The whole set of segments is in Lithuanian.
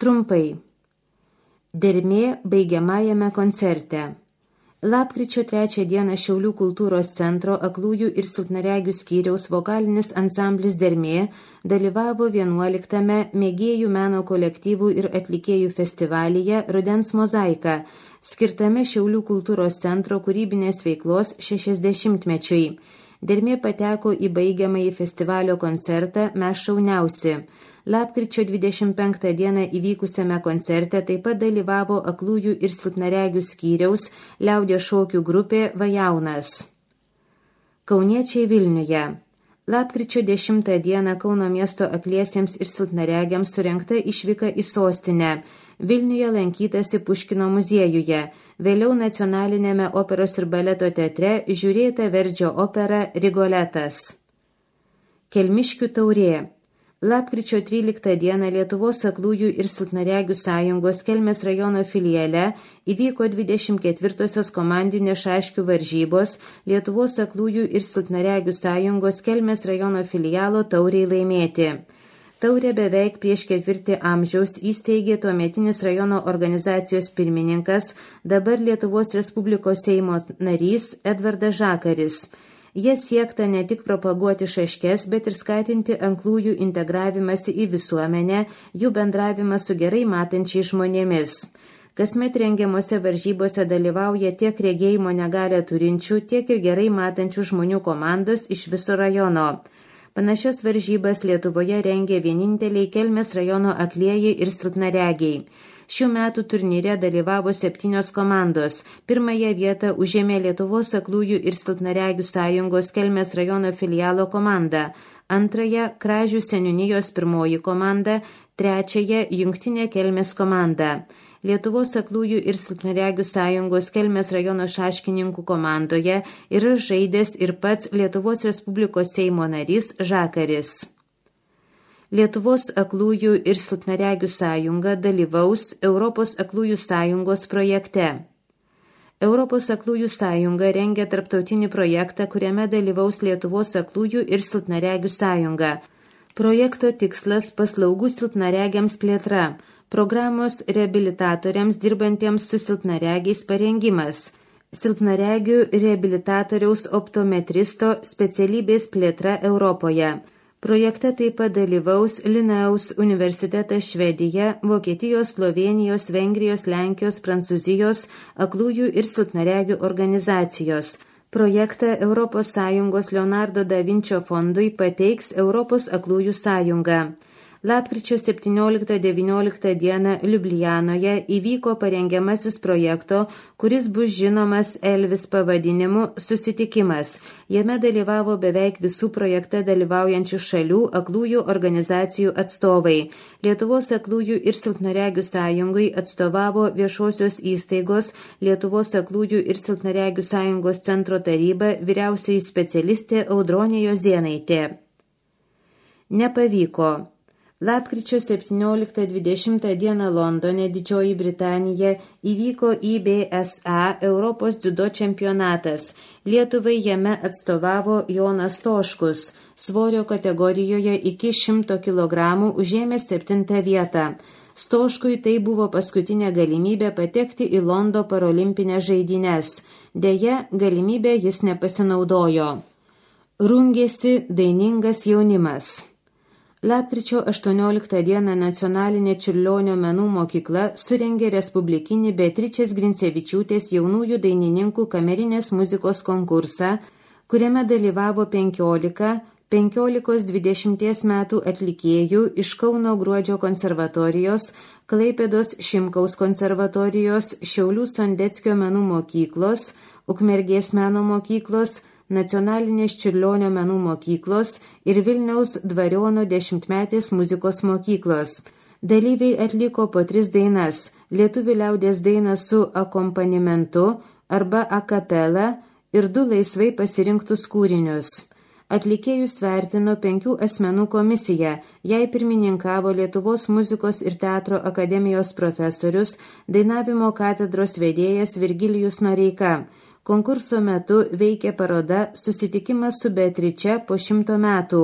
Trumpai. Dermė baigiamajame koncerte. Lapkričio 3 dieną Šiaulių kultūros centro aklųjų ir silpnaregių skyriaus vokalinis ansamblis Dermė dalyvavo 11-ame mėgėjų meno kolektyvų ir atlikėjų festivalyje Rudens mozaika, skirtame Šiaulių kultūros centro kūrybinės veiklos 60-mečiui. Dermė pateko į baigiamąjį festivalio koncertą Mes šauniausi. Lapkričio 25 dieną įvykusiame koncerte taip pat dalyvavo aklųjų ir silpnaregių skyriaus liaudies šokių grupė Vajaunas. Kauniečiai Vilniuje. Lapkričio 10 dieną Kauno miesto akliesiems ir silpnaregiams surengta išvyka į sostinę. Vilniuje lankytasi Puškino muziejuje. Vėliau Nacionalinėme operos ir baleto teatre žiūrėta Verdžio opera Rigoletas. Kelmiškių taurė. Lapkričio 13 dieną Lietuvos aklųjų ir silpnaregių sąjungos Kelmės rajono filiale įvyko 24-osios komandinės šaškių varžybos Lietuvos aklųjų ir silpnaregių sąjungos Kelmės rajono filialo tauriai laimėti. Taurę beveik prieš ketvirtį amžiaus įsteigė tuometinis rajono organizacijos pirmininkas, dabar Lietuvos Respublikos Seimo narys Edvardas Žakaris. Jie siekta ne tik propaguoti šaškes, bet ir skatinti aklųjų integravimąsi į visuomenę, jų bendravimą su gerai matančiais žmonėmis. Kasmet rengiamose varžybose dalyvauja tiek regėjimo negalią turinčių, tiek ir gerai matančių žmonių komandos iš viso rajono. Panašias varžybas Lietuvoje rengė vieninteliai Kelmės rajono aklieji ir silpnaregiai. Šių metų turnyre dalyvavo 7 komandos. Pirmąją vietą užėmė Lietuvos aklųjų ir silpnaregių sąjungos Kelmės rajono filialo komanda, antrąją Kražių seniūnijos 1 komanda, trečiąją Jungtinė Kelmės komanda. Lietuvos aklųjų ir silpnaregių sąjungos Kelmės rajono šaškininkų komandoje yra žaidęs ir pats Lietuvos Respublikos Seimo narys Žakaris. Lietuvos aklųjų ir silpnaregių sąjunga dalyvaus Europos aklųjų sąjungos projekte. Europos aklųjų sąjunga rengia tarptautinį projektą, kuriame dalyvaus Lietuvos aklųjų ir silpnaregių sąjunga. Projekto tikslas – paslaugų silpnaregiams plėtra, programos reabilitatoriams dirbantiems su silpnaregiais parengimas, silpnaregių reabilitatoriaus optometristo specialybės plėtra Europoje. Projekte taip pat dalyvaus Linnaeus universitetas Švedija, Vokietijos, Slovėnijos, Vengrijos, Lenkijos, Prancūzijos aklųjų ir silpnaregių organizacijos. Projektą ES Leonardo da Vinčio fondui pateiks Europos aklųjų sąjunga. Lapkričio 17-19 dieną Liublianoje įvyko parengiamasis projekto, kuris bus žinomas Elvis pavadinimu susitikimas. Jame dalyvavo beveik visų projekte dalyvaujančių šalių aklųjų organizacijų atstovai. Lietuvos aklųjų ir silpnaregių sąjungai atstovavo viešosios įstaigos Lietuvos aklųjų ir silpnaregių sąjungos centro taryba vyriausioji specialistė Audronė Jozėnaitė. Nepavyko. Lapkričio 17-20 dieną Londone, Didžioji Britanija, įvyko IBSA Europos dziudo čempionatas. Lietuvai jame atstovavo Jonas Toškus, svorio kategorijoje iki 100 kg užėmė 7 vietą. Stoškui tai buvo paskutinė galimybė patekti į Londo parolimpines žaidynes. Deja, galimybę jis nepasinaudojo. Rungėsi dainingas jaunimas. Lapkričio 18 dieną Nacionalinė Čiurlionio menų mokykla surengė respublikinį Beatričės Grincevičiūtės jaunųjų dainininkų kamerinės muzikos konkursą, kuriame dalyvavo 15-20 metų atlikėjų iš Kauno Gruodžio konservatorijos, Klaipėdos Šimkaus konservatorijos, Šiaulių Sondeckio menų mokyklos, Ukmergės meno mokyklos, Nacionalinės Čiurlionio menų mokyklos ir Vilniaus Dvariono 10-metės muzikos mokyklos. Dalyviai atliko po 3 dainas – lietuvių liaudies dainą su akompanimentu arba a capella ir 2 laisvai pasirinktus kūrinius. Atlikėjus vertino 5 asmenų komisija, jai pirmininkavo Lietuvos muzikos ir teatro akademijos profesorius, dainavimo katedros vedėjas Virgilijus Noreika. Konkurso metu veikė paroda Susitikimas su Beatriče po 100 metų.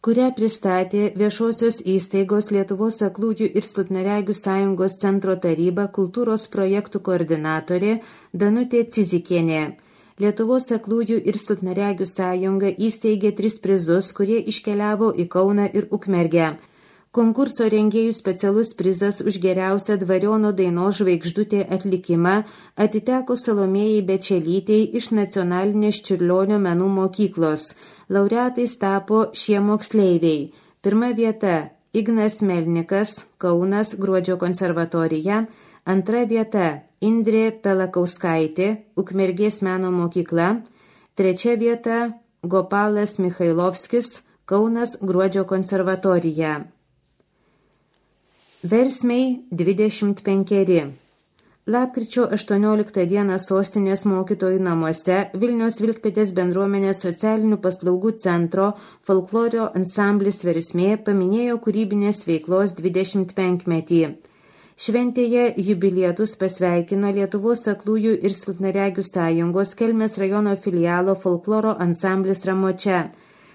kurią pristatė Viešosios įstaigos Lietuvos aklųjų ir silpnaregių sąjungos centro taryba kultūros projektų koordinatorė Danutė Cizikienė. Lietuvos aklųjų ir silpnaregių sąjunga įsteigė 3 prizus, kurie iškeliavo į Kauną ir Ukmergę. Konkurso rengėjų specialus prizas už geriausią Dvariono dainos Žvaigždutė atlikimą atiteko Salomėjai Bečelytei iš Nacionalinės Čiurlionio menų mokyklos. Laureatais tapo šie moksleiviai. 1 vieta Ignas Melnikas, Kaunas, Gruodžio konservatorija. 2 vieta Indrė Pelakauskaitė, Ukmergės meno mokykla. 3 vieta Gopalas Michailovskis, Kaunas, Gruodžio konservatorija. Versmei 25. Lapkričio 18 dieną Sostinės mokytojų namuose Vilniaus Vilkpėdės bendruomenės socialinių paslaugų centro folklorio ansamblis Versmė paminėjo kūrybinės veiklos 25-metį. Šventėje jubilietus pasveikino Lietuvos aklųjų ir silpnaregių sąjungos Kelmės rajono filialo folkloro ansamblis Ramočia.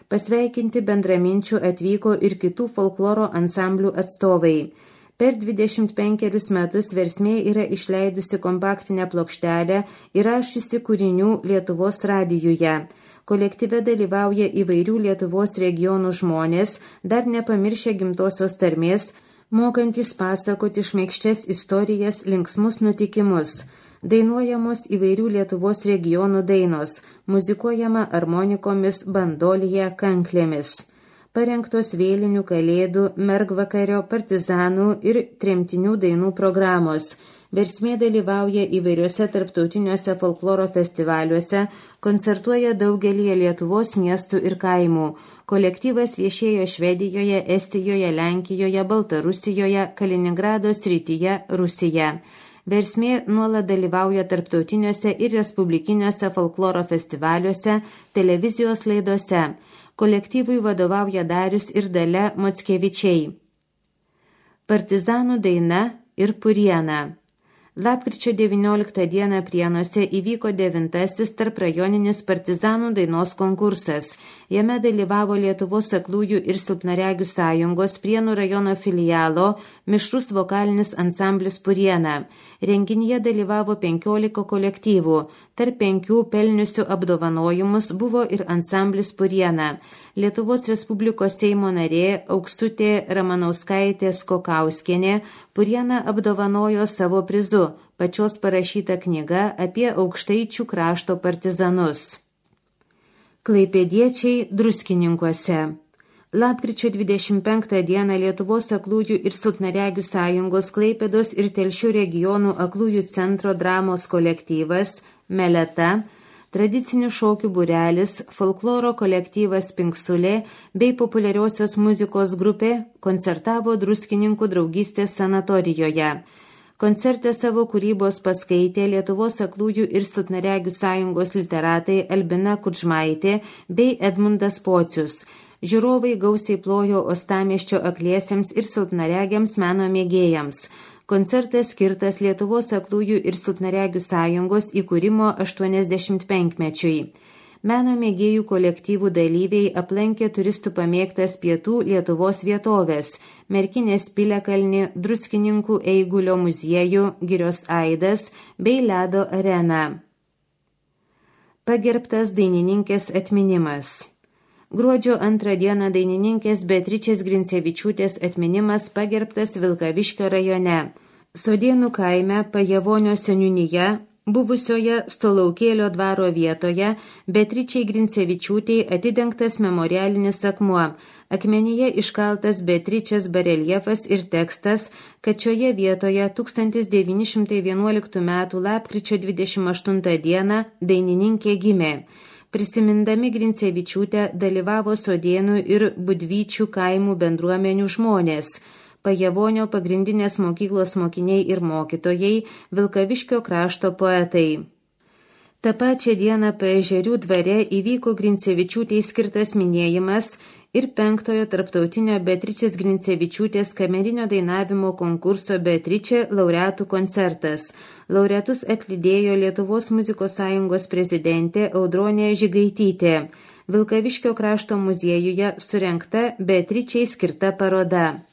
Pasveikinti bendraminčių atvyko ir kitų folkloro ansamblių atstovai. Per 25 metus Versmė yra išleidusi kompaktinę plokštelę įrašiusi kūrinių Lietuvos radijuje. Kolektyve dalyvauja įvairių Lietuvos regionų žmonės, dar nepamiršę gimtosios tarmės, mokantis pasakoti šmaikščias istorijas, linksmus nutikimus. Dainuojamos įvairių Lietuvos regionų dainos, muzikuojama armonikomis, bandolija, kanklėmis. Parengtos vėlinių, kalėdų, mergvakario, partizanų ir tremtinių dainų programos. Versmė dalyvauja įvairiuose tarptautiniuose folkloro festivaliuose, koncertuoja daugelį Lietuvos miestų ir kaimų. Kolektyvas viešėjo Švedijoje, Estijoje, Lenkijoje, Baltarusijoje, Kaliningrado srityje, Rusija. Versmė nuolat dalyvauja tarptautiniuose ir respublikiniuose folkloro festivaliuose, televizijos laidose. Kolektyvui vadovauja Darius ir Dalia Mockevičiai. Partizanų daina ir Puriena. Lapkričio 19 dieną Prienuose įvyko 9. tarprajoninis partizanų dainos konkursas. Jame dalyvavo Lietuvos aklųjų ir silpnaregių sąjungos Prienų rajono filialo mišrus vokalinis ansamblis Puriena. Renginyje dalyvavo 15 kolektyvų. Tarp 5 pelniusių apdovanojimus buvo ir ansamblis Puriena. Lietuvos Respublikos Seimo narė Aukštutė Ramanauskaitė Skokauskienė Purieną apdovanojo savo prizu, pačios parašyta knyga apie Aukštaičių krašto partizanus. Klaipėdiečiai Druskininkuose. Lapkričio 25 dieną Lietuvos aklųjų ir silpnaregių sąjungos Klaipėdos ir Telšių regionų aklųjų centro dramos kolektyvas Meleta, tradicinių šokių būrelis, folkloro kolektyvas Pinksulė bei populiariosios muzikos grupė koncertavo Druskininkų draugystės sanatorijoje. Koncerte savo kūrybos paskaitė Lietuvos aklųjų ir silpnaregių sąjungos literatai Albina Kudžmaitė bei Edmundas Pocius. Žiūrovai gausiai plojo uostamiesčio akliesiems ir silpnaregiams meno mėgėjams. Koncertas skirtas Lietuvos aklųjų ir silpnaregių sąjungos įkūrimo 85-mečiui. Meno mėgėjų kolektyvų dalyviai aplankė turistų pamėgtas pietų Lietuvos vietovės – Merkinės piliakalnį, Druskininkų Eigulio muziejų, Girios aidas bei Ledo areną. Pagerbtas dainininkės atminimas. Gruodžio 2 dieną dainininkės Beatričės Grincevičiūtės atminimas pagerbtas Vilkaviškio rajone. Sodėnų kaime Pajavonio seniūnyje, buvusioje Stolaukėlio dvaro vietoje, Beatričei Grincevičiūtei atidengtas memorialinis akmuo. Akmenyje iškaltas Beatričės bareljefas ir tekstas, kad šioje vietoje 1911 m. lapkričio 28 dieną dainininkė gimė. Prisimindami Grincevičiūtę dalyvavo Sodėnų ir Budvyčių kaimų bendruomenių žmonės, Pajavonio pagrindinės mokyklos mokiniai ir mokytojai, Vilkaviškio krašto poetai. Ta pačia diena Paežerių dvare įvyko Grincevičiūtei skirtas minėjimas ir 5 tarptautinio Beatričės Grincevičiūtės kamerinio dainavimo konkurso Beatričė laureatų koncertas. Laureatus atlydėjo Lietuvos muzikos sąjungos prezidentė Audronė Žigaitytė. Vilkaviškio krašto muziejuje surengta Beatričei skirta paroda.